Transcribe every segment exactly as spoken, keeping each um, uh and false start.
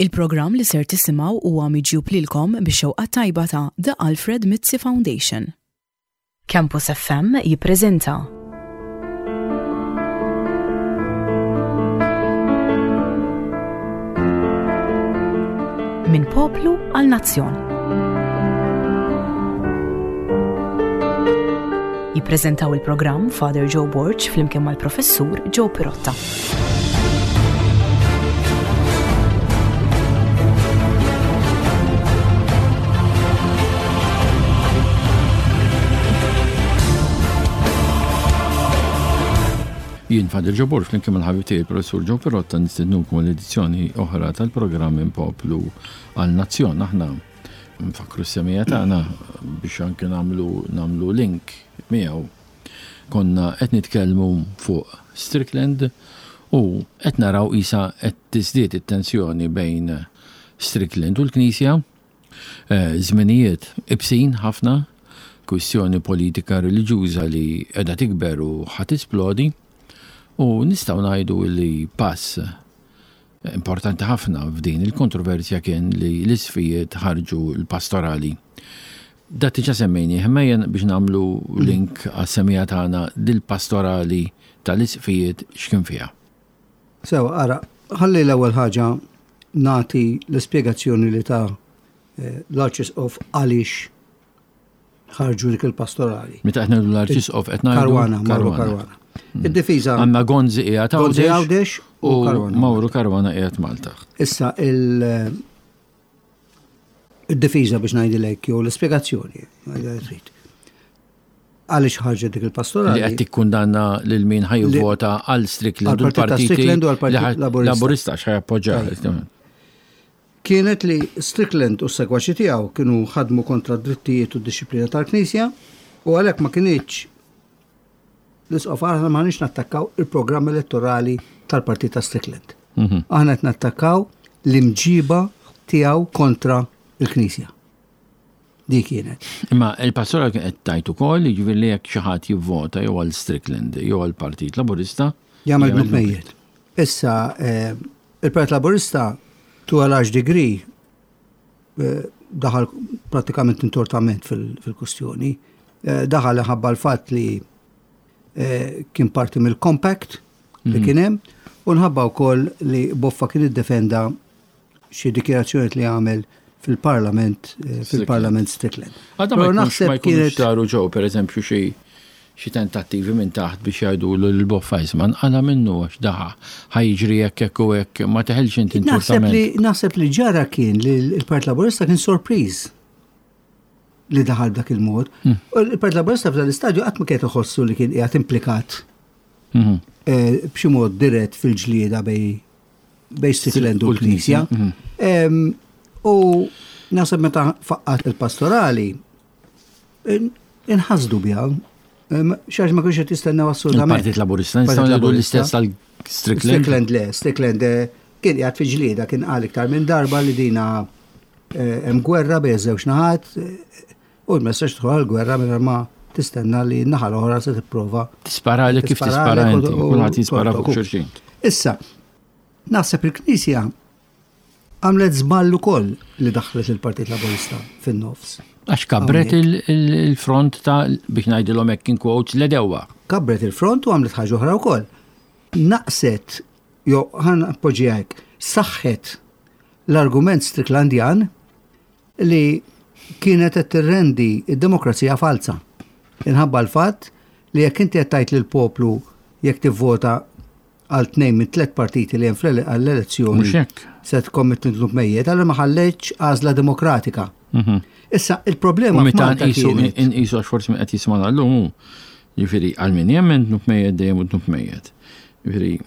Il-programm li ser tisimgħu huwa miġjub lilkom bix-xewqa tajba ta' The Alfred Mizzi Foundation. Campus F M jippreżenta Minn Poplu għal Nazzjon. Jippreżentaw il-programm Father Joe Borg flimkien mal-Professur Joe Pirotta. Jien Father Joe Borg flimkien mal-ħabib tiegħi Professur Joe Pirotta nistednukom l-edizzjoni oħra tal-programm Minn Poplu għal Nazzjon. Aħna nfakru s-semija tagħna biex anke nagħmlu nagħmlu link miegħu. Konna qed nitkellmu fuq Strickland u qed naraw isa qed tiżdied it-tensjoni bejn Strickland u l-Knisja. Eh, żminijiet ibsin ħafna, kwistjoni politika reliġjuża li qiegħda tikber u ħa tisplodi. U nistgħu ngħidu li pass importanti ħafna f'din il-kontroversja kien li l-isqfijiet ħarġu l-pastorali. Da diġà semmejni, ħmejjen biex nagħmlu link għas-semija tagħna, dil-pastorali tal-isqfijiet x'kien fiha? Sew, ara, ħalli l-ewwel ħaġa nagħti l-ispjegazzjoni li ta eh, l-Arċisqof għaliex ħarġu dik il-pastorali. Meta qed ngħidu l-Arċisqof, qed ngħidu Caruana, Mauro Caruana. Id-difiża Għandna Gonzi qiegħed Gonzi Għawdex Għawdex u u Caruana. Mauro Caruana qiegħed Malta. Issa il- id-difiża biex ngħidilek jew l-ispjegazzjoni, ngħidha trid. Għaliex ħarġet dik il-pastorali? Li qed tikkundanna lil min ħa jivvota għal Strickland u Għal-Partit ta' l-partiti Strickland u għall-Partit li ħa- Laburista. Laburista x'ħa jappoġġja. Kienet li Strickland u s-segwaċi tiegħu kienu ħadmu kontra d-drittijiet u d-disciplina tal-Knisja u għalhekk ma kinitx l-isqof, aħna ma nix nattakkaw il-programm elettorali tal-Partit ta' Strickland. Mhm. Aħna qed nattakkaw l-imġiba tiegħu kontra il-Knisja. Dik kienet. Imma il-pastora kien qed tgħid ukoll, jiġifieri li jekk xi ħadd jivvota jew għal Strickland jew għal Partit Laburista Jagħmel dnub mejjet. Issa eh, il-Partit Laburista to a large degree eh, daħal pratikament intortament fil- fil-kustjoni. Eh, Daħal ħabba l-fatt li eh, kien parti mill-compact li kien hemm u nħabba wkoll li Boffa kien iddefenda xi dikjarazzjoni li għamel fil-parlament eh, fil-parlament Strickland. Għadha ma Però jkunx ma naħseb jkunux kienet saru ġew, per eżempju, xi xi tentattivi minn taħt biex jgħidu l-Boffa, isma' għala minnu għax daħa ħa jiġri hekk, hekk u hekk, ma teħelx inti Naħseb li intortament. naħseb li ġara kien li l-Partit Laburista kien sorpriż li daħal b'dak il-mod. Hmm. U l-Partit Laburista f'dan l-istadju qatt ma kien iħossu li kien qiegħed implikat Mhm. eh, b'xi mod dirett fil-ġlieda bej bej Strickland u U l-Knisja. l-Knisja. Em, U naħseb meta faqqat il-pastorali in- inħasdu biha. Em, Xaġ ma kienx qed jistennew assolutament. Il-Partit Laburista nistgħu Partit ngħidu Laburista. l-istess tal-Strickland. Strickland le, Strickland eh, kien qiegħed fi ġlieda, kien qal iktar minn darba li dina eh, hemm gwerra bejn żewġ naħat eh, u ma jistax tidħol għall-gwerra mingħajr ma tistenna li n-naħa l-oħra se tipprova Tispara li kif tispara tisparalek inti, u- u- kulħadd jispara fuq u- xulxin. Issa, naħseb il-Knisja għamlet żball ukoll li daħlet il-Partit Laburista fin-nofs. Għax kabret il- il- il-front ta', biex ngħidilhom hekk in quotes, l-għedewwa. Kabbret il-front u għamlet ħaġa oħra wkoll. Naqset, jew ħa npoġġiha hekk, saħħet l-argument Stricklandjan li kienet qed tirrendi id-demokrazija falsa. Inħabba l-fatt li jekk inti qed tgħid lill-poplu jekk tivvota għal tnejn minn tliet partiti li hemm fl- għall-elezzjoni Mhux hekk. se tkommet dnub mejjet, allura ma ħallejtx għażla demokratika. Issa il-problema U meta f'Malta nqisu kienet nqisu, għax forsi min qed jismana llum hu, jiġifieri għal min jemmen dnub mejjet dejjem u dnub mejjet. Jiġifieri,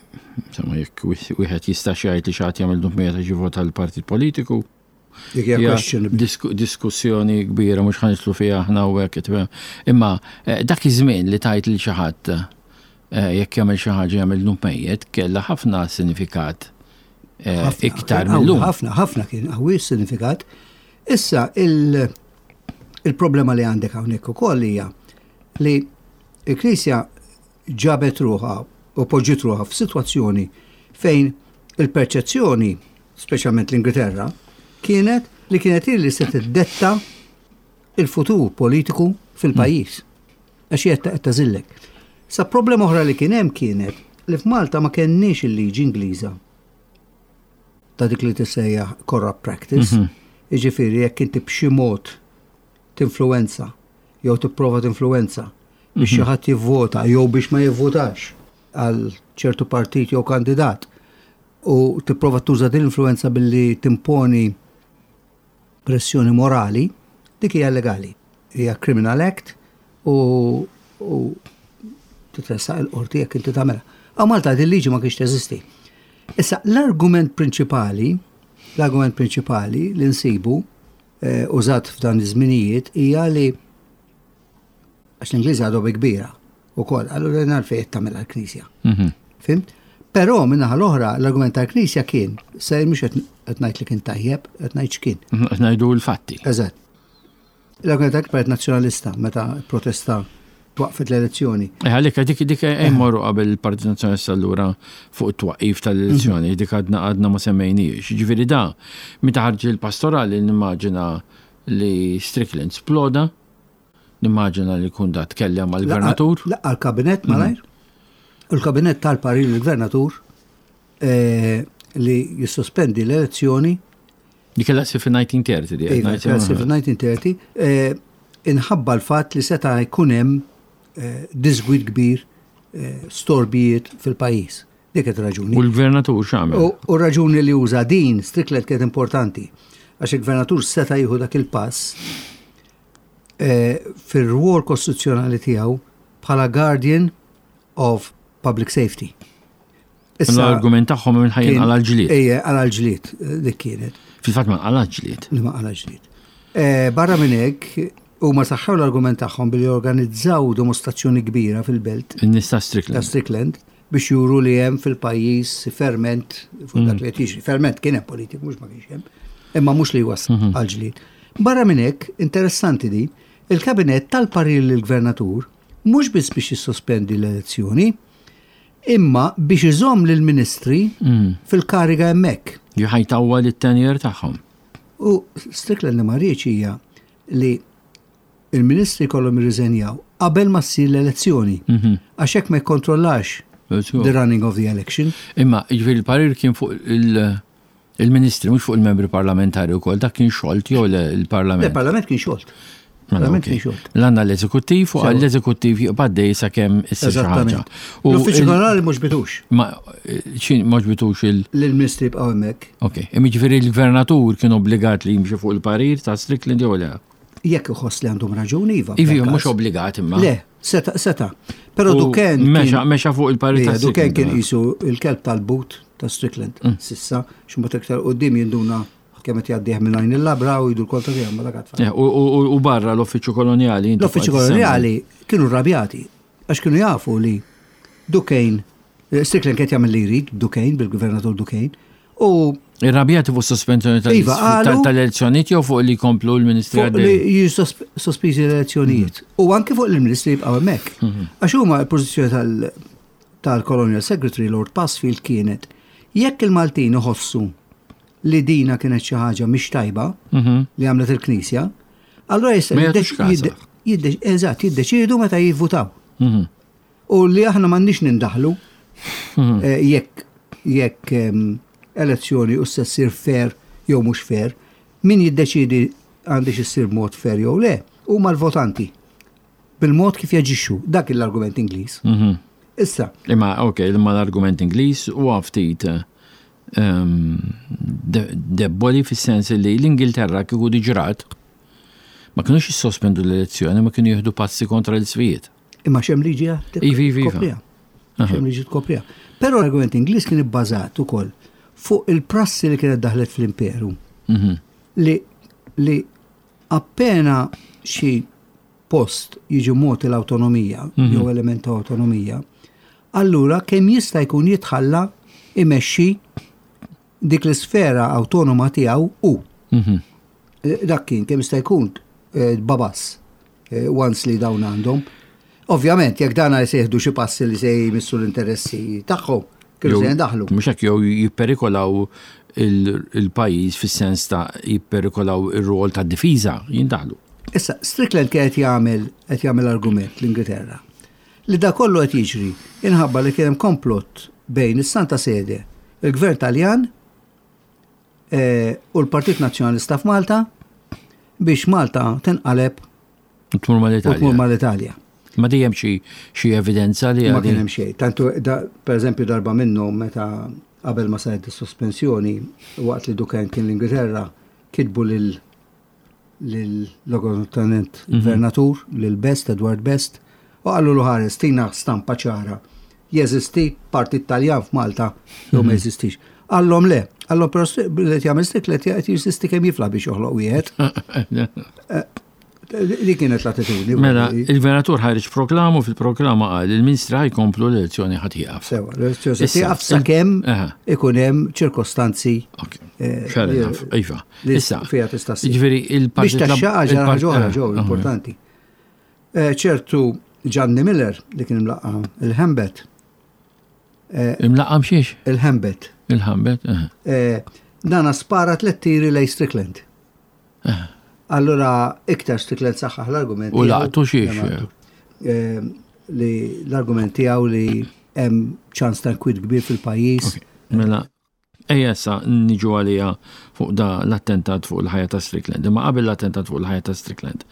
insomma, jekk wieħed jista' jgħid li xi ħadd jagħmel dnub mejjet għax jivvota għal partit politiku, Dik hija hija questionable. disku- diskussjoni kbira mhux ħa nidħlu fiha aħna u hekk tifhem. Imma eh, dak iż-żmien li tajt lil xi ħadd eh, jekk jagħmel xi ħaġa jagħmel dnub mejjet kellha ħafna sinifikat eh, Ħafna, iktar qawwi, mill-lum. Ħafna, ħafna kien qawwi sinifikat. Issa il- il-problema li għandek hawnhekk ukoll hija li il-Knisja ġabet ruħha u poġġiet ruħha f'sitwazzjoni fejn il-perċezzjoni speċjalment l-Ingilterra, kienet li kienet li se tiddetta il-futur politiku fil-pajjiż. Għax hija qed tagħżillek. Sa problema oħra li kien hemm kienet li f'Malta ma kenniex il-liġi Ingliża ta' dik li tissejjaħ corrupt practice. Jiġifieri jekk inti b'xi mod tinfluwenza jew tipprova tinfluwenza biex xi ħadd jivvota jew biex ma jivvotax għal ċertu partit jew kandidat u tipprova tuża din l-influenza billi timponi pressjoni morali, dik hija legali. Hija criminal act u, u titressaq il-qorti jekk inti tagħmilha. Hawn Malta din liġi ma kienx teżisti. Issa l-argument prinċipali, l-argument prinċipali li nsibu eh, użat f'dan iż-żminijiet hija li għax l-Ingliżi għadu bi kbira ukoll, allura għalfejn tagħmilha l-Knisja. Mhm. Fhimt? Però min-naħa l-oħra l-argument tal-Knisja kien, se mhux qed ngħid li kien tajjeb, qed ngħid x'kien. Qed ngħidu l-fatti. Eżatt. L-argument tal-Partit Nazzjonalista meta protesta twaqfet l-elezzjoni. Eh, għalhekk dik dik morru qabel il-Partit Nazzjonalista allura fuq it-twaqqif tal-elezzjoni, dik għadna għadna ma semmejniex. Ġifieri da, meta ħarġ il-pastorali nimmaġina li Strickland sploda, nimmaġina li kun da tkellem mal-gvernatur. Laqqa l-kabinet malajr. U l-kabinet tal-parir l-gvernatur eh, li jissospendi l-elezzjoni. Di kellha ssir fil-elf disa' mija u tletin di. Iva, kellha ssir fil-elf disa' mija u tletin, eh, inħabba l-fatt li seta' jkun hemm eh, disgwid kbir, eh, storbijiet fil-pajjiż. Dik qed raġuni. U l-gvernatur x'għamel? U u raġuni li uża din Strickland kienet importanti, għax il-gvernatur seta' jieħu dak il-pass eh, fir-rwol kostituzzjonali tiegħu bħala guardian of public safety. L-argument tagħhom minn ħajjin kien- għal ġlied. Ejja, għal ġlied, eh, dik kienet, Fil-fatt ma għal ġlied. li ma għal ġlied. Eh, Barra minn hekk, huma saħħew l-argument tagħhom billi organizzaw dimostrazzjoni kbira fil-belt In-nies ta' ta' Strickland. Strickland biex juru li hemm fil-pajjiż ferment fuq dak li qed jiġri. Ferment kien hemm politiku, mhux ma kienx hemm, imma mhux li jwassal għal ġlied. Barra minn hekk, interessanti di, il-kabinet tal-parir lill-gvernatur mhux biss biex jissospendi l-elezzjoni, imma biex iżomm lill-ministri fil-kariga hemmhekk. Jħajtawwa lit-tenure tagħhom. U Strickland li ma riedx hija li il-ministri kollhom jirriżenjaw qabel ma ssir l-elezzjoni. Għax hekk ma jikkontrollax the running of the election. Imma, ġifieri il-parir kien fuq il- il-ministri, mhux fuq il-membri parlamentari wkoll, dak kien xolt jew le il-parlament. Il-parlament kien xolt. Mela, Parlament ok. kien xolt. L-għandna l-eżekuttiv u Sewa. għall-eżekuttiv jibqa' dej sakemm issir xi ħaġa. Eżattament. U L-uffiċċju il- ġenerali mhux bitux Ma xin mhux bitux il- l-ministri bqgħu hemmhekk. Ok, imma ġifieri il-gvernatur kien obbligat li jimxi fuq il-parir ta' Strickland jew le? Jekk iħoss li għandhom raġuni, iva. Ivi, f'dak mhux każ. obbligat imma. Le, seta, seta. Però U Duquesne Mexa, kien- mexa fuq il-parir Ija, ta' Duquesne Strickland. kien qisu il-kelb tal-but ta' Strickland. Mm. Sissa, xumbat iktar qudiem jinduna kemm qed jgħaddih minn għajn il-labra u jdu l-kontra tiegħu ma dak għad Eh, U u- u barra l-uffiċċju koloniali. inti L-uffiċċju fuq qed koloniali kienu rrabjati għax kienu jafu li Duquesne, eh, Strickland kien jagħmel li jrid Duquesne bil-gvernatur Duquesne u Irrabjati fuq sospensjoni tal- Iva, qalu- tal- tal-elezzjonijiet jew fuq li jkomplu l-ministri fuq li għaddej? jiġu sospiżi l-elezzjonijiet. U anke fuq l-ministri jibqgħu hemmhekk. Għax huma l-pożizzjoni tal- tal-Colonial Secretary Lord Passfield kienet jekk il-Maltin iħossu li dina kienet xi ħaġa mhix tajba Mhm. li għamlet il-Knisja, allura jista' Ma jagħtux jiddeċ- kasha. jidde- jidde- eżatt, jiddeċiedu meta jivvutaw. Mhm. U li aħna m'għandniex nindaħlu eh, jekk jekk em, elezzjoni u se ssir fair jew mhux fair, min jiddeċidi għandix issir mod fair jew le, huma l-votanti. Bil-mod kif jaġixxu, dak l-argument Ingliż. Mhm. Issa, Imma, ok, imma l-argument Ingliż huwa ftit ehm, de- debboli fis-sens li l-Ingilterra kieku diġrat ma kienux jissospendu l-elezzjoni, ma kienu jieħdu passi kontra l-isqfijiet. imma xem liġi Iva, iva, iva. tkopriha. Xem liġi tkopriha. Però l-argument Ingliż kien ibbażat ukoll fuq il-prassi li kienet daħlet fl-imperu. Mhm. li li appena xi post jiġi mogħti l-awtonomija jew element ta' awtonomija, allura kemm jista' jkun jitħalla imexxi dik l-isfera awtonoma tiegħu u Mhm. Eh, dak kien kemm jista' jkun eh, babas eh, once li dawn għandhom. Ovvjament, jekk dana se jieħdu xi passi li se jmissu l-interessi tagħhom, kienu se jindaħlu. Mhux hekk jew jipperikolaw il-pajjiż fis-sens ta' jipperikolaw ir-rol ta' difiża jindaħlu. Issa, Strickland kien qed jagħmel qed jagħmel argument l-Ingilterra li da kollu qed jiġri inħabba li kien hemm komplott bejn is-Santa Sede, il-Gvern Taljan eh, u l-Partit Nazzjonalista f'Malta biex Malta tinqaleb U tmur u tmur mal-Italja. mal-Italja. Ma dejjem xi xi evidenza li Ma għadi- kien hemm xejn. Tantu da, per eżempju darba minnhom meta qabel ma saret is-sospensjoni waqt li Dukan kien l-Ingilterra kitbu lil lil logotenent gvernatur lil Best Edward Best u qallu lu ħares tina stampa ċara. Jeżisti partit Taljan f'Malta jew ma jeżistix. Qallhom le, qallhom però li qed jagħmel Strickland qed jeżisti kemm jifla biex joħloq wieħed. Li kienet l-attitudni. Mela, il-gvernatur ħareġ proklamu fil-proklama qal il-ministri ħajkomplu l-elezzjoni ħadd jieqaf. Sewa, l-elezzjoni se Issa, tieqaf sakemm Aha. ikun hemm ċirkostanzi Ok, eh, fair li- enough, iva. li Issa, fiha tista' ssir. Ġifieri Biex il-Partit Lab- taxxa ħaġa il-Part- ħaġa oħra eh, ġew eh, importanti. Eh, ċertu Gianni Miller li kien imlaqqa il-Hembet, Imlaqqam xiex? il-Hembet, Il-ħambet? eh. eh, dana spara tliet tiri lej Strickland. Allura iktar Strickland saħħaħ l-argument. U tiegħu- laqtu xiex? Le, ma laqtu. Eh, Li l-argument tiegħu li hemm ċans ta' kwid kbir fil-pajjiż. Ok, Mela, ejja issa niġu għalija fuq da l-attentat fuq il-ħajja ta' Strickland. Imma qabel l-attentat fuq il-ħajja ta' Strickland.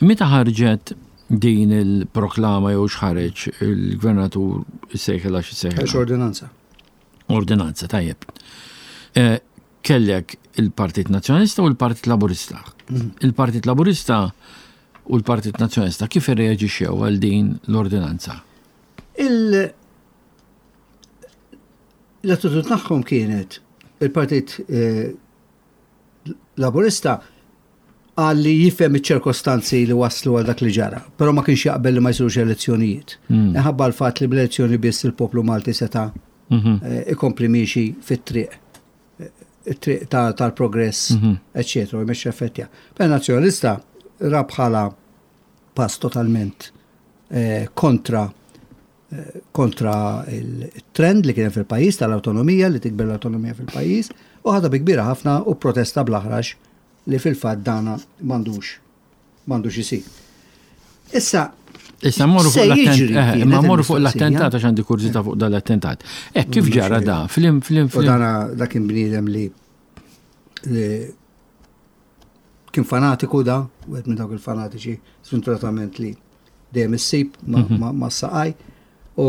Meta ħarġet din il-proklama jew x'ħareġ il-gvernatur issejħilha Għax x'issejħilha? ordinanza. Ordinanza, tajjeb. Eh, Kellek il-Partit Nazzjonalista u l-Partit Laburista. Il-Partit Laburista u l-Partit Nazzjonalista kif irreaġixxew għal din l-ordinanza? Il l-attitudni tagħhom kienet il-Partit eh, Laburista qal li jifhem iċ-ċirkostanzi li waslu għal dak li ġara, però ma kienx jaqbel li ma jsirux elezzjonijiet. Minħabba l-fatt li bl-elezzjoni biss il-poplu Malti seta' Mhm. eh, ikompli miexi fit-triq eh, it-triq ta- tal-progress, eccetera, u jmexxi effettja. Per nazzjonalista ra bħala pass totalment eh, kontra eh, kontra il-trend li kien hemm fil-pajjiż tal-autonomija li tikber l-autonomija fil-pajjiż u ħadha bi kbira ħafna u protesta bl-aħrax li fil-fatt dana m'għandux m'għandux isir. Issa Issa morru Se fuq l-attentat, jiġri eh, kienet ma morru fuq il-mistoqsija. l-attentat għax għandi kurżità fuq dal-attentat. Eh, kif ġara da? Flim, flim, U flim. dana da kien bniedem li li kien fanatiku da, u għed minn dawk il-fanatiċi sventuratament li dejjem issib ma, ma, ma saqaj u,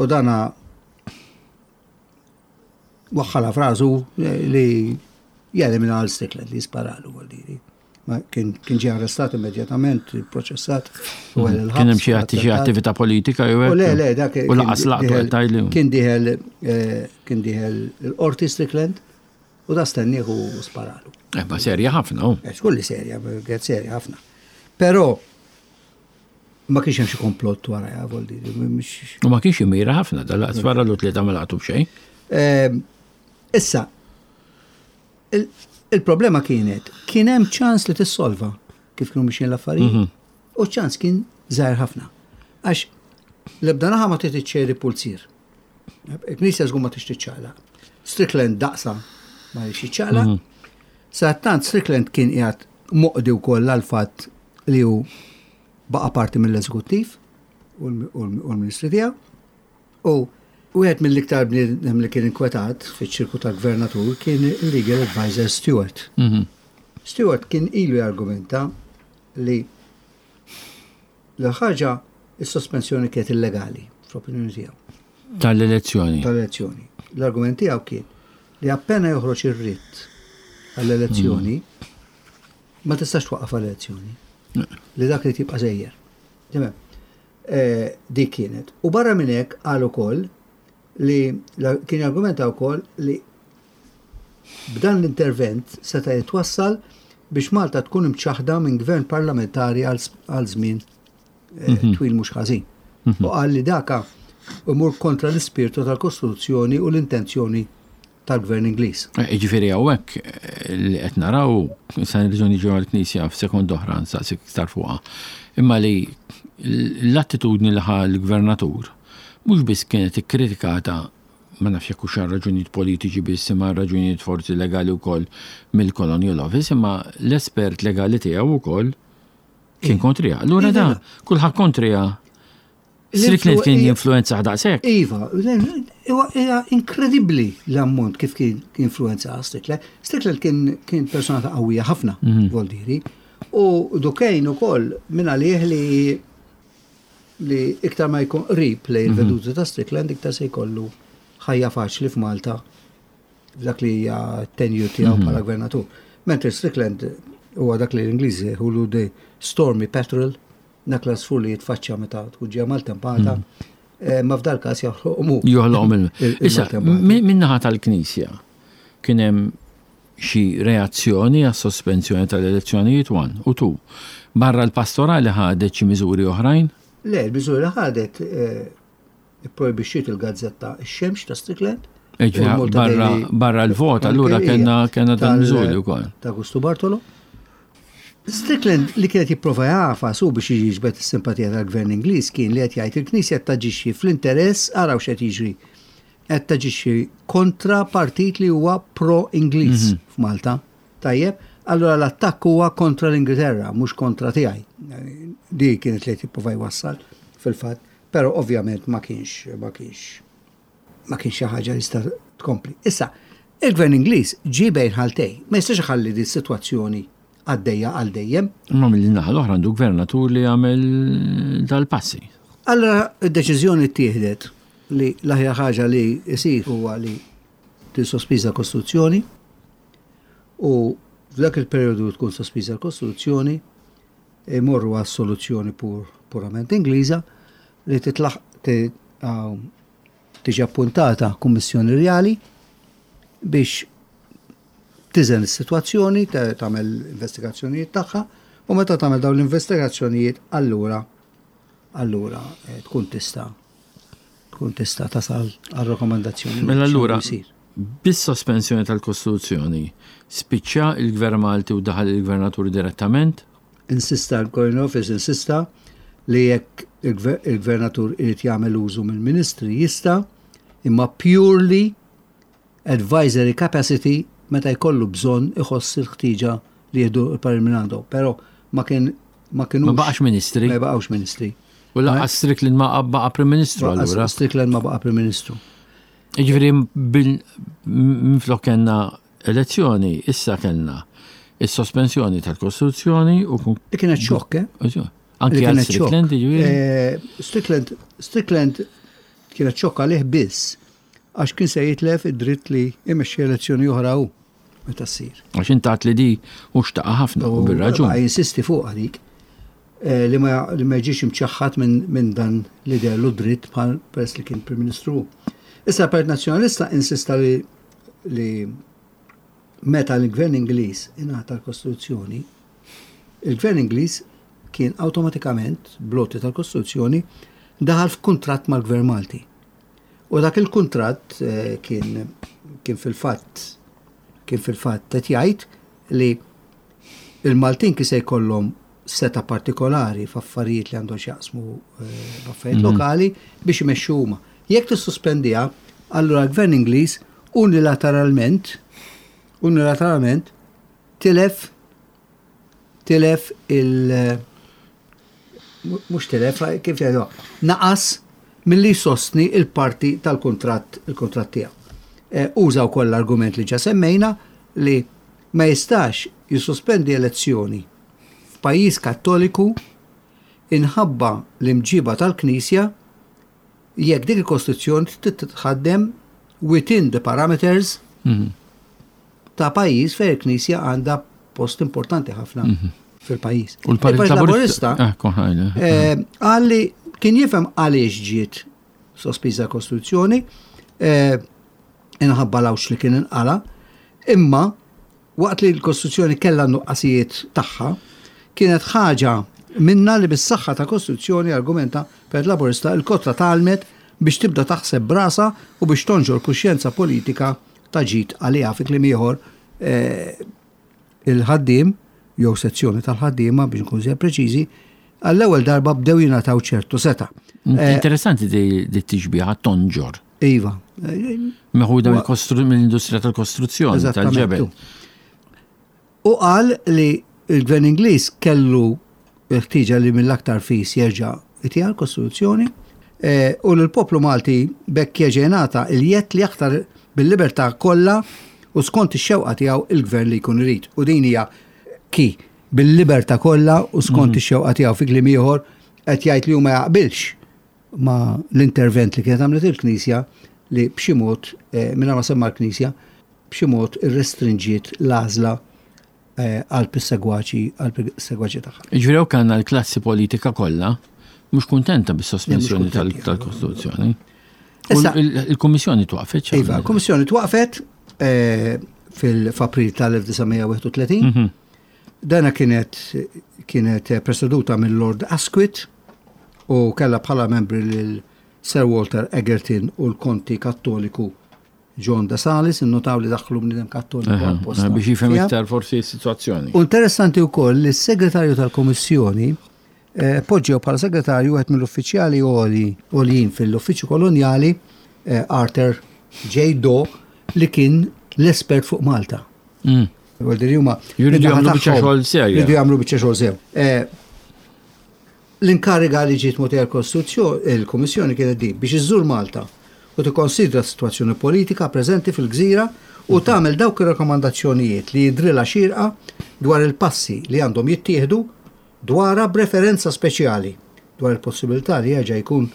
u dana waħħala frażu li jelimina għal Strickland li sparalu għal diri. Ma kien, kien ġie arrestat immedjatament, proċessat u għal il-ħabs. Kien hemm xi atti- xi attività politika jew U hekk? le, le, dak U laqas laqtu kien qed tgħidli. Kien diħel, eh, kien diħel il-qorti Strickland u da stennieh u sparalu. Eh, ma serja ħafna, hu. Eh, Xkulli serja, kienet serja ħafna. Però ma kienx hemm xi komplott wara, ja, vol dire, mhix- U ma kienx imira ħafna, dal-laqas sparalu tlieta ma laqtu b'xejn. Eh, Issa, il- il-problema kienet, kien hemm ċans li tissolva kif kienu mixjin l-affarijiet. U ċans kien żgħir ħafna. Għax l-ebda naħa ma trid iċċeri pulzir. Il-Knisja żgur ma tix tiċċaqlaq. Strickland daqsa ma jridx jiċċaqlaq. Sadattant Strickland kien qiegħed moqdi wkoll għal fatt li hu baqa' parti mill-eżekuttiv u l- u l- u l-Ministri tiegħu. U wieħed mill-iktar bniedem li kien inkwetat fiċ-ċirku tal-gvernatur kien il-legal advisor Stewart. Mhm. Stewart kien ilu jargumenta li l-ħaġa is-sospensjoni kienet illegali fl-opinjoni tiegħu Tal-elezzjoni. tal-elezzjoni. L-argument tiegħu kien li appena joħroġ ir-ritt għall-elezzjoni ma tistax twaqqaf għall-elezzjoni. Li dak li tibqa' sejjer. Timem. Eh, Dik kienet. U barra minn hekk qal ukoll li la- kien argumenta wkoll li b'dan l-intervent seta' jitwassal biex Malta tkun imċaħda minn gvern parlamentari għal s- għal żmien eh, twil mhux ħażin. U qal li daka imur kontra l-ispirtu tal-Kostituzzjoni u l-intenzjoni tal-Gvern Ingliż. Eh, Jiġifieri hawnhekk eh, li qed naraw sa nirġgħu niġu għall-Knisja f'sekond oħra nsaqsik iktar fuqha. Imma li l-attitudni li ħa l-gvernatur mhux biss kienet ikkritikata ma nafx jekk hux raġunijiet politiċi biss imma raġunijiet forsi legali wkoll mill-Colonial Office, imma l-espert legali tiegħu wkoll kien kontrija. Allura da, kulħadd kontrija. Strickland kien jinfluenza daqshekk. Iva, hija inkredibbli l-ammont kif kien influenza Strickland. Strickland kien kien persona ta' qawwija ħafna, mhm. voldiri. U Duquesne ukoll minn għalih li li iktar ma jkun qrib lejn mhm. il-veduti ta' Strickland iktar se jkollu ħajja faċli f'Malta f'dak li hija tenure tiegħu mhm. bħala gvernatur. Mentre Strickland huwa dak li l-Ingliżi jgħidulu the stormy petrel, dak l-għasfur li jitfaċċa meta tkun ġejja maltempata, mhm. eh, ma f'dal każ joħloqhom. Joħloqhom. Issa, min-naħa tal-Knisja kien hemm xi reazzjoni għas sospensjoni tal-elezzjonijiet one u two. Barra l-pastorali ħadet xi miżuri oħrajn? Le, l-miżuri li ħadet eh, ipprojbixxiet il-gazzetta Ix-Xemx ta' Strickland. Barra l-vot, allura kellna kellna dan miżuri wkoll. Ta' Gustu Bartolo. Strickland li kienet jipprova jagħfas u biex jiġbed is-simpatija tal-Gvern Ingliż kien li qed jgħid il-Knisja taġixxi fl-interess, araw x'qed jiġri, qed taġixxi kontra partit li huwa pro-Ingliż mhm. f'Malta. Tajjeb, allura l-attakk huwa kontra l-Ingilterra, mhux kontra tiegħi. Di kienet li qed jipprova jwassal fil-fatt, però ovvjament ma kienx ma kienx ma kienx xi ħaġa li sta tkompli. Issa, il-Gvern Ingliż ġie bejn ħaltej, ma jistax iħalli di sitwazzjoni għaddejja għal dejjem. Imma mill-naħa l-oħra għandu gvernatur li għamel dal-passi. Allora id-deċiżjoni ttieħdet li l-aħjar ħaġa li jsir huwa li tissospiża l-Kostituzzjoni u f'dak il-perjodu tkun sospiża l-Kostituzzjoni imorru għas soluzzjoni pur, purament Ingliża li titlaħ tiġi appuntata Kummissjoni Rjali biex tiżen is-sitwazzjoni, tagħmel investigazzjonijiet tagħha u meta tagħmel dawn l-investigazzjonijiet allura allura eh, tkun tista' tkun tista' tasal għal rakkomandazzjoni. Mela allura bis-sospensjoni tal-Kostituzzjoni spiċċa il-Gvern Malti u daħal il-Gvernatur direttament? Insista l-Colonial Office insista li jekk il-Gvernatur irid jagħmel użu mill-Ministri jista' imma purely advisory capacity meta jkollu bżonn iħoss il-ħtieġa li jieħdu l-parir minn għandu. Però ma kien ma kienux. Ma baqax ministri. Ma baqgħux ministri. U lanqas Strickland ma baqa' Prim Ministru allura. Strickland ma baqa' Prim Ministru. Jiġifieri minflok kellna elezzjoni, issa kellna is-sospensjoni tal-Kostituzzjoni u Li kienet xokk, eh? Anki għal Strickland, jiġifieri? Eh, Strickland, Strickland kienet xokk għalih biss għax kien se jitlef id-dritt li jmexxi elezzjoni oħra hu meta ssir. Għax intat li di u xtaqa ħafna u bir-raġun. Jinsisti fuq għalik eh, li ma li ma jiġix imċaħħad minn dan li dellu dritt bħal peress li kien Prim Ministru. Issa l-Partit Nazzjonalista insista li li meta l-Gvern Ingliż ingħata l-Kostituzzjoni, il-Gvern Ingliż kien awtomatikament bl-għoti tal-Kostituzzjoni daħal f'kuntratt mal-Gvern Malti. U dak il-kuntratt eh, kien kien fil-fatt kien fil-fatt qed jgħid li il-Maltin kien se jkollhom seta partikolari f'affarijiet li għandhom x'jaqsmu eh, f'affarijiet mhm. lokali biex imexxu huma. Jekk tissuspendiha, allura l-Gvern Ingliż unilateralment unilateralment tilef tilef il mhux tilef kif jgħidu naqas milli sostni il-parti tal-kuntratt il-kuntratt tiegħu. Eh, uża wkoll l-argument li ġa semmejna li ma jistax jissospendi elezzjoni f'pajjiż Kattoliku inħabba l-imġiba tal-Knisja jekk dik il-Kostituzzjoni titħaddem within the parameters mhm. ta' pajjiż fejn il-Knisja għandha post importanti ħafna mhm. fil-pajjiż. U l-Partit Laburista ah, eh, għalli kien jifhem għaliex ġiet sospiża l-Kostituzzjoni, eh, inħabba l li kien inqala, imma waqt li l-Kostituzzjoni kellha nuqqasijiet tagħha, kienet ħaġa minna li bis-saħħa ta' Kostituzzjoni argumenta per Laburista il-kotra talmet biex tibda taħseb brasa u biex tonġor kuxjenza politika ta' ġid għaliha fi kliem ieħor eh, il-ħaddiem jew sezzjoni tal-ħaddiema biex nkun żejjed preċiżi, għall-ewwel darba bdew jingħataw ċertu seta. Eh, Interessanti di tixbiha tonġor. Iva, Meħuda mill-industrija tal-kostruzzjoni, tal-ġebel. U qal li il-gvern Ingliż kellu ħtieġa li mill-aktar fis jerġa' jtiha l-Kostituzzjoni u l-poplu Malti bekk jerġa' jingħata il-jedd li jaħtar bil-libertà kollha u skont ix-xewqa tiegħu il-gvern li jkun irid. U din hija ki bil-libertà kollha u skont ix-xewqa tiegħu, fi kliem ieħor qed jgħid li hu ma jaqbilx ma l-intervent li kienet għamlet il-Knisja li b'xi mod, mingħajr ma semma l-Knisja, b'xi mod irrestrinġiet l-għażla għal segwaċi għal segwaċi tagħha. Jiġifieri hawn kellna l-klassi politika kollha mhux kuntenta bis-sospensjoni tal-Kostituzzjoni. Il-Kummissjoni twaqfet. Iva, il-Kummissjoni twaqfet fil-April tal-elf disa' mija wieħed u tletin. Dana kienet kienet preseduta mill Lord Asquith u kellha bħala membri lil Sir Walter Egerton u l-Konti Kattoliku John de Salis, innotaw li daħlu bniedem kattoliku Aha, għal-posta. Biex jifhem Fija. iktar forsi s-sitwazzjoni. U interessanti wkoll li s-segretarju tal-Kummissjoni, eh, poġġew bħala segretarju wieħed mill-uffiċjali għoli, għoljin fil-uffiċċju kolonjali, eh, Arthur J. Daw, li kien l-espert fuq Malta. Mm. Vuol dire huma Jridu min-naħa jagħmlu biċċa tagħhom xogħol serja. Jridu jagħmlu biċċa xogħol sew. Eh, l-inkariga li ġiet mogħtija l-Kostituzzjoni, il-Kummissjoni kienet din biex iżżur Malta u tikkonsidra s-sitwazzjoni politika preżenti fil-gżira u tagħmel dawk ir-rakkomandazzjonijiet li jidrilha xierqa dwar il-passi li għandhom jittieħdu dwarha b'referenza speċjali dwar il-possibilità li jerġa' jkun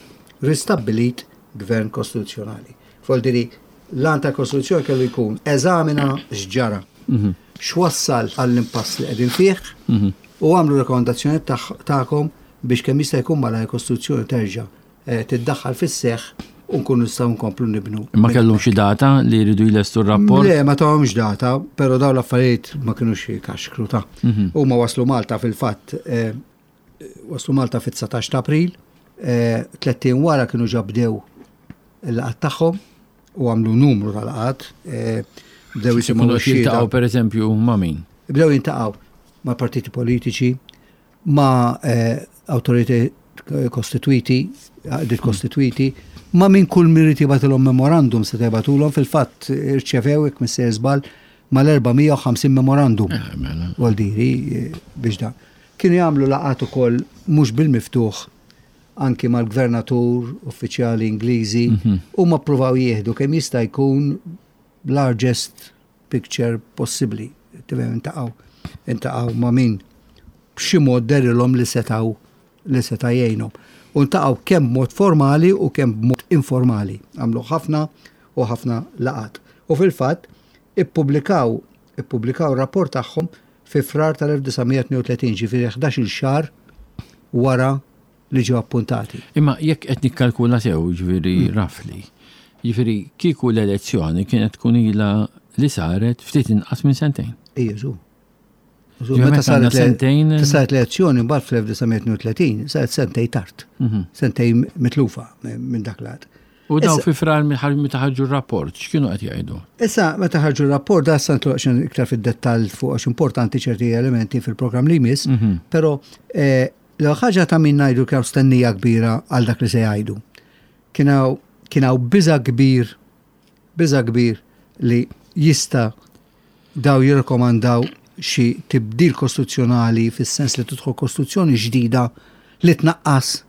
ristabbilit gvern kostituzzjonali. Vuol dire l-għan tal-Kostituzzjoni kellu jkun eżamina x'ġara, Mhm. x'wassal għall-impass li qegħdin fih Mhm. u għamlu rakkomandazzjoni tagħkom biex kemm jista' jkun malajr il-Kostituzzjoni terġa', eh, tiddaħħal fis-seħħ u nkunu nistgħu nkomplu nibnu. Ma kellhom xi data li jridu jlestu r-rapport? Le, ma tawhomx data, però dawn l-affarijiet ma kinux kaxkru ta'. Mhm. Huma waslu Malta fil-fatt, eh, waslu Malta fit-dsatax ta' April, eh, tlett ijiem wara kienu ġa bdew il-laqgħat tagħhom u għamlu numru ta' laqgħat, eh, bdew jisimgħu Kienu x-xhieda. jiltaqgħu pereżempju ma' min? Bdew jiltaqgħu ma' partiti politiċi, ma', eh, awtoritajiet kostituiti, għaqdiet kostituiti, ma' min kull min irid jibgħatilhom memorandum se jibgħatulhom, fil-fatt irċevew jekk missier żball mal-erba' mija u ħamsin memorandum. Eh, mela. Vuol dire, eh, biex dan. Kienu jagħmlu laqgħat ukoll mhux bil-miftuħ anki mal-gvernatur, uffiċjali Ingliżi, Mhm. u ma ppruvaw jieħdu kemm jista' jkun largest picture possibbli. Tifhem, intaqgħu, intaqgħu ma' min b'xi mod derilhom li setgħu li seta' jgħinhom. U ntaqgħu kemm b'mod formali u kemm b'mod informali. Għamlu ħafna u ħafna laqgħat. U fil-fatt ippubblikaw, ippubblikaw rapport tagħhom fi Frar tal-elf disa' mija tnejn u tletin, ġifieri ħdax-il xahar wara li ġew appuntati. Imma jekk qed nikkalkula sew, ġifieri Mm. rafli, ġifieri kieku l-elezzjoni kienet tkun ilha li saret ftit inqas minn sentejn. Ejja, żu. Żu, Ġifieri meta meta saret għandna le- sentejn meta saret l-elezzjoni mbagħad fl-elf disa' mija tnejn u tletin, saret sentejn tard. Mhm. Sentejn mitlufa minn dak l-għad. U daw Issa- fi Frar meta ħarġu r-rapport, x'kienu qed jgħidu? Issa, meta ħarġu r-rapport, da sa nitloq xejn iktar fid-dettall fuq għax importanti ċerti elementi fil-programm li jmiss, Mhm. però, eh, l ħaġa ta' min ngħidu kien hawn stennija kbira għal dak li se jgħidu. Kien hawn, kien hawn biża' kbir, biża' kbir li jista' daw jirrekomandaw xi tibdil kostituzzjonali fis-sens li tidħol kostituzzjoni ġdida li tnaqqas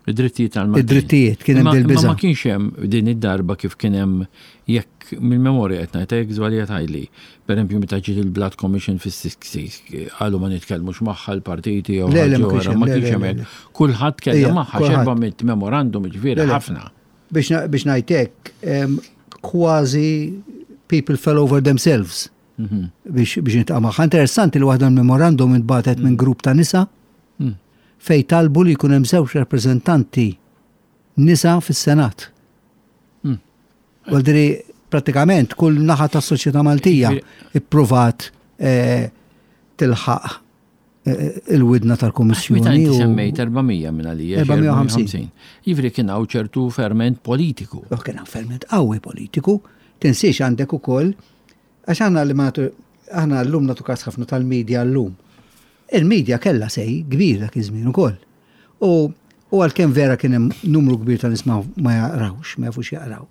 Id-drittijiet tal-Maltin. Id-drittijiet, kien hemm Imma- dil-biża'. Imma ma kienx hemm din id-darba kif kien hemm jekk mill-memorja qed ngħid jekk żbaljat ħajli. Pereżempju meta ġiet il-Blood Commission fis-sixties qalu ma nitkellmux magħha l-partiti jew Le, le, ma ħaġa kienx oħra, hemm, ma le, kienx le, hemm le, hekk. le. Kulħadd kellem Ija, magħha kulħadd. xerba mit memorandum ġifieri Le, le. ħafna. Biex na-, biex ngħid hekk, em, kważi people fell over themselves Mhm. biex, biex nitqa' magħha. Interessanti li waħda l-memorandum intbagħtet minn grupp ta' nisa Mm. fej talbu li jkun hemm żewġ rappreżentanti nisa fis-Senat. Mm. Vuol dire, pratikament kull naħa tas-soċjetà Maltija Ġifieri- ippruvat, eh, tilħaq, eh, il-widna tal-Kummissjoni. Meta inti u- semmejt erba' mija minn għalija, xi erba' mija u ħamsin. erba' mija u ħamsin. Jiġifieri kien hawn ċertu ferment politiku. U kien hawn ferment qawwi politiku, tinsiex għandek ukoll, għax aħna li ma nagħtu, aħna llum nagħtu każ ħafna tal-medja llum. Il-medja kellha sej kbir dak iż-żmien ukoll. U, u għalkemm vera kien hemm numru kbir ta' nies ma, ma jaqrawx, ma jafux jaqraw.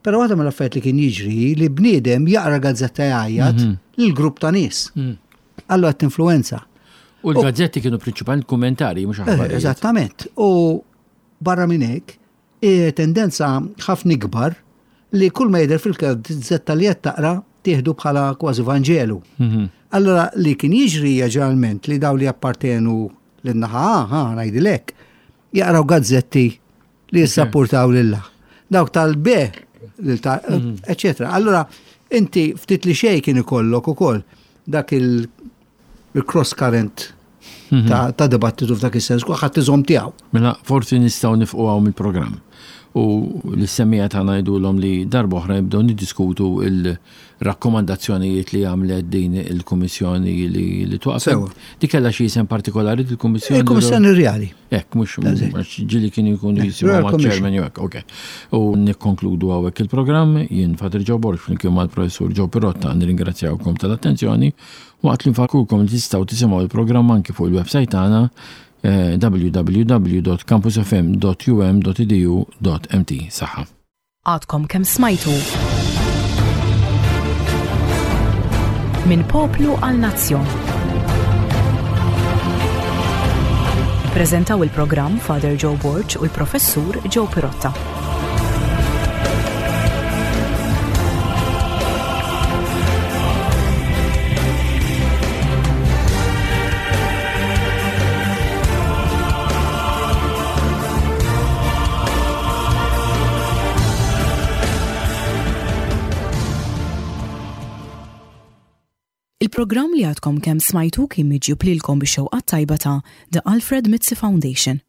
Però waħda mill-affarijiet li kien jiġri li bniedem jaqra gazzetta jgħajjat mhm. lil grupp ta' nies. Mm. Allura tinfluwenza. U l-gazzetti kienu prinċipalment kummentari, mhux eh, aħbarijiet. Eżattament. U barra minn hekk, tendenza ħafna ikbar li kull ma jidher fil-gazzetta li qed taqra tieħdu bħala kważi Vanġelu. Mhm. Allora li kien jiġri ġeneralment li daw li appartenu lin-naħa A, ngħidilek, jaqraw gazzetti li jissapportaw lilha. Dawk tal-B, mhm. eccetera. Allora inti ftit li xejn kien ikollok ukoll dak il-cross current mhm. ta' dibattitu f'dak is-sens, ħadd iżomm tiegħu. Mela forsi nistgħu nieqfu hawn mill-programm. U lis-semmiegħa tagħna ngħidulhom li darba oħra nibdew niddiskutu il-rakkomandazzjonijiet li għamlet din il-kummissjoni li li twaqfet. Di kellha xi isem partikolari il-kummissjoni? Il-Kummissjoni Rjali. Hekk, mhux ġieli kien jkun jisimgħu ma' chairman jew hekk, ok. U nikkonkludu hawnhekk il-programm, jien Father Joe Borg flimkien mal-Professur Joe Pirotta nirringrazzjawkom tal-attenzjoni waqt li nfakrukom li tistgħu tisimgħu il-programm anki fuq il-website tagħna eh, w w w punt campusfm punt um punt edu punt m t. Saħħa. Għadkom kemm smajtu Minn Poplu għal Nazzjon. Prezentaw il-programm Father Joe Borg u l-Professur Joe Pirotta. Il-programm li għadkom kemm smajtu kien miġjub lilkom bix-xewqa tajba ta' The Alfred Mizzi Foundation.